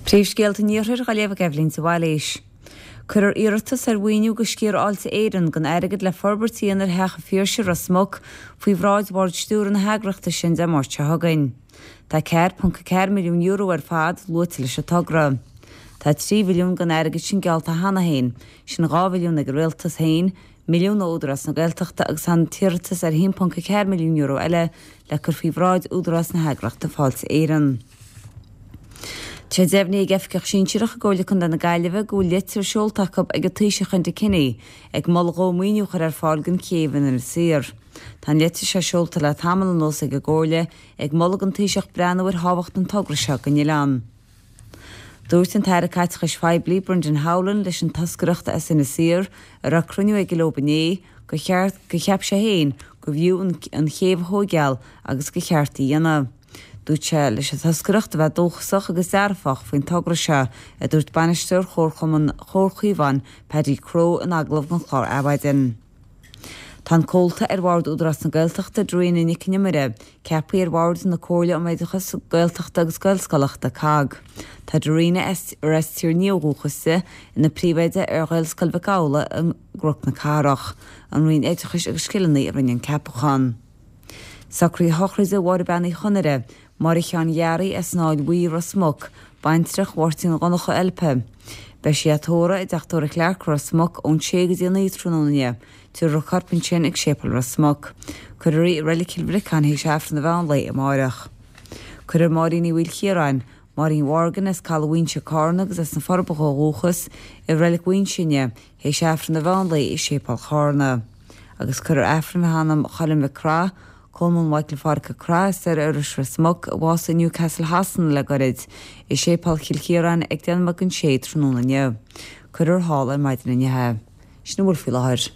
Príomhscéalta an Iarthair á léamh ag Eibhlín de Bhailís. Cuirfear iarratas ar mhaoiniú do Sciar Fháilte Éireann den airgead le forbairt a dhéanamh ar Theach an Phiarsaigh, Ros Muc, faoi bhráid Bhord Stiúrtha na heagraíochta sin Dé Máirt seo chugainn. Tá €4.4 milliún ar fad luaite leis an togra. Tá 3 mhilliún den airgead sin geallta cheana féin, sin 2 mhilliún ag an Rialtas féin, milliún ó Údarás na Gaeltachta agus tá an t-iarratas ar €1.4 milliún eile le cur faoi bhráid údarás na heagraíochta Fáilte Éireann. Tá sé deimhnithe ag oifigeach sinsearach i gComhairle Contae na Gaillimhe go bhfuil litir seolta acu ag an Taoiseach Enda Kenny ag moladh dhó maoiniú a chur ar fáil don chéibh in Inis Oírr. Tá an litir seo seolta le tamall anuas ag an gComhairle ag moladh don Taoiseach breathnú ar thábhacht an togra seo don oileán. Dúirt an tAire Caiteachais Phoiblí Brendan Howlin leis an toscaireacht as Inis Oírr a raibh cruinniú aige leo inné gur cheart, gur cheap sé féin gurbh fhiú an chéibh a thóigeáil agus gur cheart í a dhéanamh. Dúirt sé leis an toscaireacht a bheith dóchasach agus dearfach faoin togra seo, a dúirt bainisteoir Chomharchumann Chomhar Caomhán, Paddy Crowe in agallamh don chlár Adhmhaidin. Tá an comhalta ar Bhord Údarás na Gaeltachta, Darina Nic an Iomaire, ceaptha ar Bhord na Comhairle um Oideachas Gaeltachta agus Gaelscolaíochta, COGG. Tá Darina, ar as Tír an Fhia ó dhúchas di, ina príomhoide ar Ghaelscoil Mhic Amhlaigh i gCnoc na Cathrach. An Roinn Oideachais agus Scileanna a rinne an ceapachán. Socruithe sochraide Mháire Bean Uí Chonaire, Máire Sheáin Ghearaí as an Fháil Bhuí, Ros Muc, baintreach Mháirtín Dhonncha Eilpe. Beidh sí á tórramh i dTeach Tórraimh Chlarke, Ros Muc, ón sé go dtí a 9 tráthnóna inniu. Tabharfar a corp ansin ag Séipéal Ros Muc. Cuirfear í i Reilig Chill Bhriocáin théis Aifreann an mheán lae amáireach. Cuirfear Máirín Uí Mhaoilchiaráin, Máirín Mhorgan as Caladh Mhaínse, Cárna agus as na Forbacha ó dhúchas, i Reilig Mhaínse inniu, théis Aifreann an mheán lae i Séipéal Chárna. Agus cuirfear Aifreann le hanam Choilm Mhic Craith, Colmán Mhichael Phádraic Ó Craith as Doire Iorrais Ros Muc, a bhásaigh i Newcastle Shasana le goirid, i Séipéal Chill Chiaráin ag 9:10 tráthnóna inniu. Cuirfear thall ar maidin inniu é. Sin a bhfuil faoi láthair.